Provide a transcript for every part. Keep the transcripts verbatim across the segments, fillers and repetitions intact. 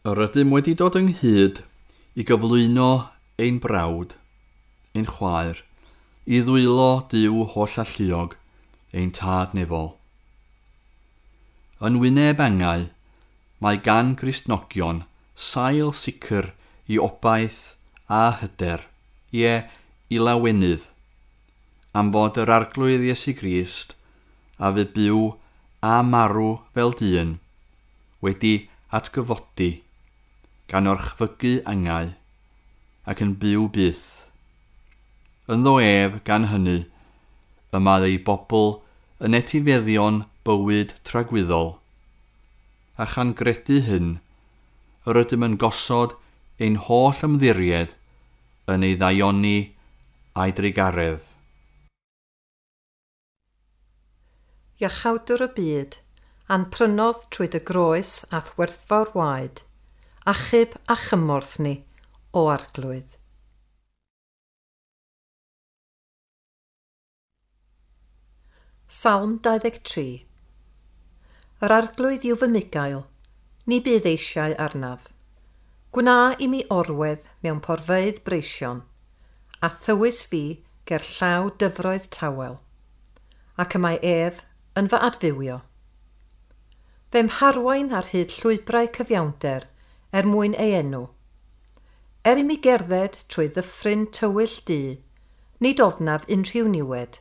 Yr ydym wedi dod ynghyd i gyflwyno ein brawd, ein chwaer, i ddwylo Duw holl alluog, ein tad nefol. Yn wyneb angau, mae gan Gristnogion sail sicr i obaith a hyder, ie, i lawenydd, am fod yr Arglwydd Iesu Grist a fu byw a marw fel dyn, wedi atgyfodi, gan orchfygu angau, ac yn byw byth. Ynddo ef, gan hynny, y mae ei bobl yn etifeddion bywyd tragwyddol, a chan gredu hyn, yr ydym yn gosod ein holl ymddiried yn ei ddaioni a'i drugaredd. Iachawdwr y byd, a'n prynodd trwy dy groes a'th werthfawr waed, achub a chymorth ni, o Arglwydd. Salm dau ddeg tri. Yr Arglwydd yw fy mugail, ni bydd eisiau arnaf. Gwna i mi orwedd mewn porfeydd breision, a thywys fi ger llaw dyfroedd tawel, ac y mae ef yn fy adfywio. Fe'm harwain ar hyd llwybrau cyfiawnder er mwyn ei enw. Er i mi gerdded trwy ddyffryn tywyll du, nid ofnaf unrhyw niwed,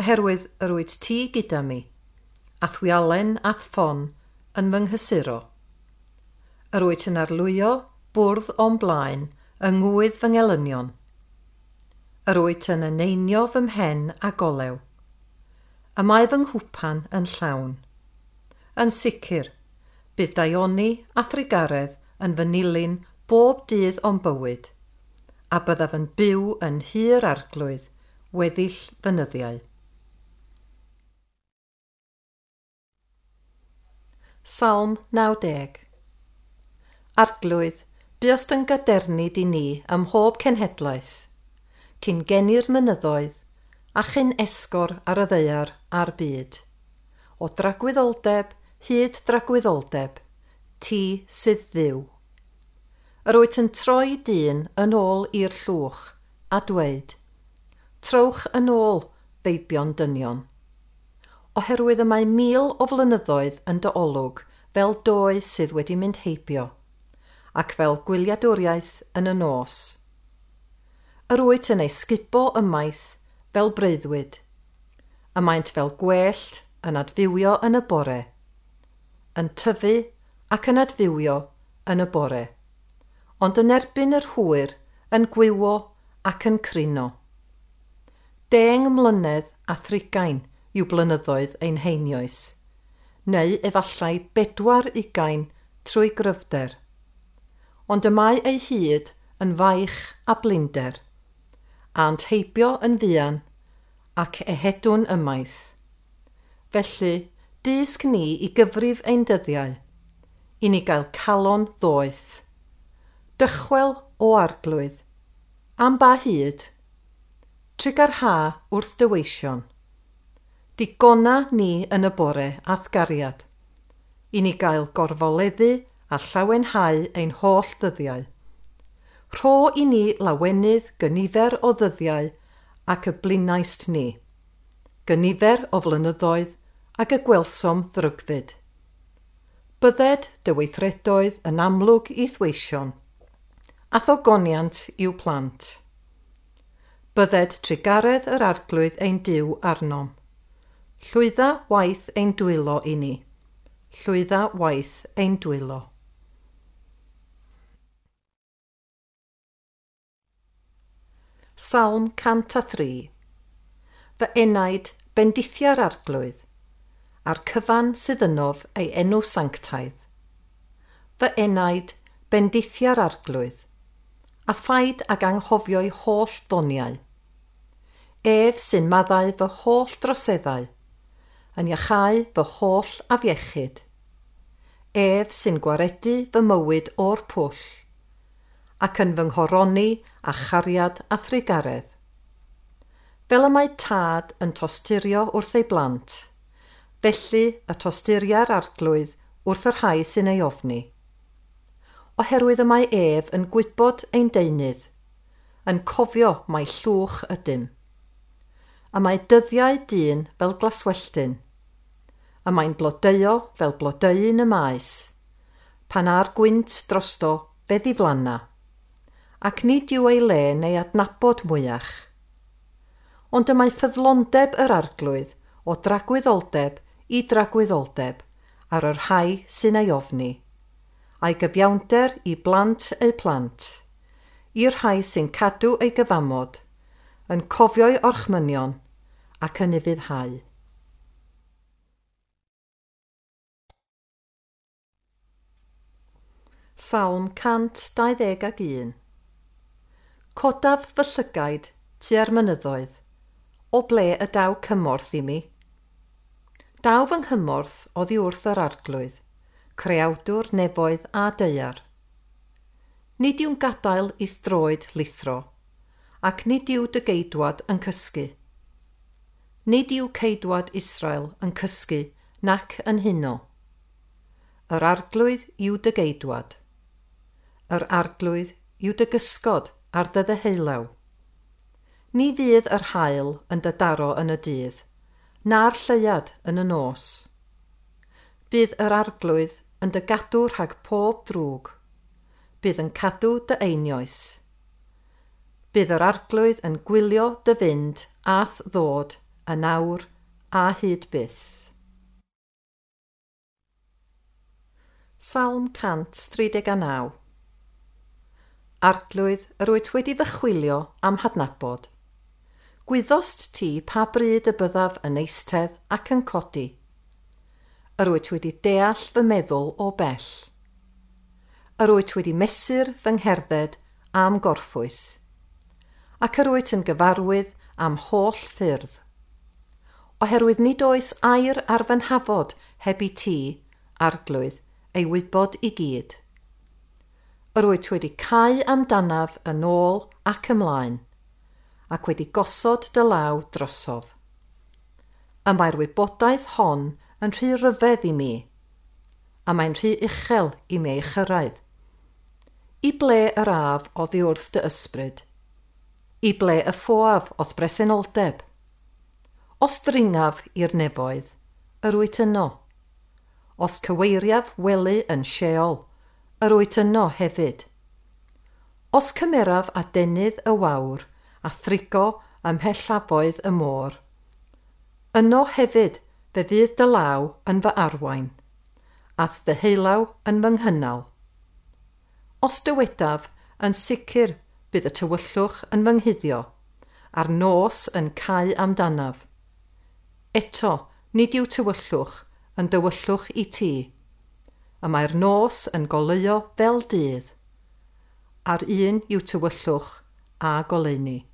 oherwydd yr wyt ti gyda mi, a'th wialen a'th ffon yn fy nghysuro. Yr wyt yn arlwyo bwrdd o'm blaen yng ngwydd fy ngelynion. Yr wyt yn eneinio fy mhen a golew. Y mae fy nghwpan yn llawn. Yn sicr, bydd daioni a thrugaredd yn fy nilyn bob dydd o'm bywyd, a byddaf yn byw yn nhŷ'r Arglwydd weddill fy nyddiau. Salm naw deg. Arglwydd, buost yn gadernid i ni ym mhob cenhedlaeth, cyn geni'r mynyddoedd a chyn esgor ar y ddaear a'r byd. O dragwyddoldeb hyd dragwyddoldeb, ti sydd Dduw. Yr wyt yn troi dyn yn ôl i'r llwch a dweud, trowch yn ôl, feibion dynion. Oherwydd y mae mil o flynyddoedd yn dy olwg fel doe sydd wedi mynd heibio, ac fel gwyliadwriaeth yn y nos. Yr wyt yn ei sgubo ymaith fel breuddwyd, y maent fel gwellt yn adfywio yn y bore, yn tyfu ac yn adfywio yn y bore, ond yn erbyn yr hwyr yn gwywo ac yn crino. Deng mlynedd a thrigain yw blynyddoedd ein heinioes, neu efallai bedwar ugain trwy gryfder. Ond y mae ei hyd yn faich a blinder, a'n heibio yn fuan ac ehedwn ymaith. Felly, dysg ni i gyfrif ein dyddiau, i ni gael calon ddoeth. Dychwel o Arglwydd, am ba hyd? Trugarha wrth dy weision. Digona ni yn y bore a'th gariad, i ni gael gorfoleddu a llawenhau ein holl ddyddiau. Rho i ni lawenydd gynifer o ddyddiau ac y blinaist ni, gynifer o flynyddoedd ac y gwelsom ddrygfyd. Bydded dy weithredoedd yn amlwg i'th weision, a thogoniant i'w plant. Bydded trugaredd yr Arglwydd ein Duw arnom. Llwydda waith ein dwylo i ni. Llwydda waith ein dwylo. Salm cant a thri. Fy enaid bendithia'r Arglwydd, a'r cyfan sydd ynof ei enw sanctaidd. Fy enaid bendithia'r Arglwydd, a phaid ag anghofio'i holl ddoniau. Ef sy'n maddau fy holl droseddau, yn iachau fy holl afiechyd. Ef sy'n gwaredu fy mywyd o'r pwll, ac yn fy nghoroni a chariad a thrugaredd. Fel y mae tad yn tosturio wrth ei blant, felly y tosturia'r Arglwydd wrth y rhai sy'n ei ofni. Oherwydd y mae ef yn gwybod ein deunydd, yn cofio mai llwch ydym. Y mae dyddiau dyn fel glaswelltyn. Y mae'n blodeuo fel blodeuyn y maes, pan â'r gwynt drosto fe ddiflanna, ac nid yw ei le neu adnabod mwyach. Ond y mae ffyddlondeb yr Arglwydd o dragwyddoldeb i dragwyddoldeb ar yr rhai sy'n ei ofni, a'i gyfiawnder i blant eu plant, i'r rhai sy'n cadw ei gyfamod, yn cofio'i orchmynion ac yn ufuddhau. Salm cant dau ddeg ac un. Codaf fy llygaid tua'r mynyddoedd, o ble y daw cymorth i mi? Daw fy nghymorth oddi wrth yr Arglwydd, creawdwr nefoedd a daear. Nid yw'n gadael i'th droed lithro, ac nid yw dy geidwad yn cysgu. Nid yw ceidwad Israel yn cysgu nac yn huno. Yr Arglwydd yw dy geidwad. Yr Arglwydd yw dy gysgod ar dy ddeheulaw. Ni fydd yr haul yn dy daro yn y dydd, na'r lleuad yn y nos. Bydd yr Arglwydd yn dy gadw rhag pob drwg. Bydd yn cadw dy einioes. Bydd yr Arglwydd yn gwylio dy fynd a'th ddod yn awr a hyd byth. Salm cant tri deg a naw. Arglwydd, yr wyt wedi fy chwilio am hadnabod. Gwyddost ti pa bryd y byddaf yn eistedd ac yn codi. Yr wyt wedi deall fy meddwl o bell. Yr wyt wedi mesur fy ngherdded am gorffwys, ac yr wyt yn gyfarwydd am holl ffyrdd. Oherwydd nid oes air ar fy nhafod heb i ti, Arglwydd, ei wybod i gyd. Yr wyt wedi cau amdanaf yn ôl ac ymlaen, ac wedi gosod dy law drosof. Y mae'r wybodaeth hon yn rhy ryfedd i mi, a mae'n rhy uchel i mi ei chyrraedd. I ble yr af oddi wrth dy ysbryd? I ble y ffoaf o'th bresenoldeb? Os dringaf i'r nefoedd, yr wyt yno. Os cyweiriaf wely yn Sheol, yr wyt yno hefyd. Os cymeraf adenydd y wawr a thrigo ym mhellafoedd y môr, yno hefyd fe fydd dy law yn fy arwain, a'th ddeheulaw yn fy nghynnal. Os dywedaf, yn sicr bydd y tywyllwch yn fy nghuddio, a'r nos yn cau amdanaf. Eto, nid yw tywyllwch yn dywyllwch i ti, y mae'r nos yn goleuo fel dydd, a'r un yw tywyllwch a goleuni.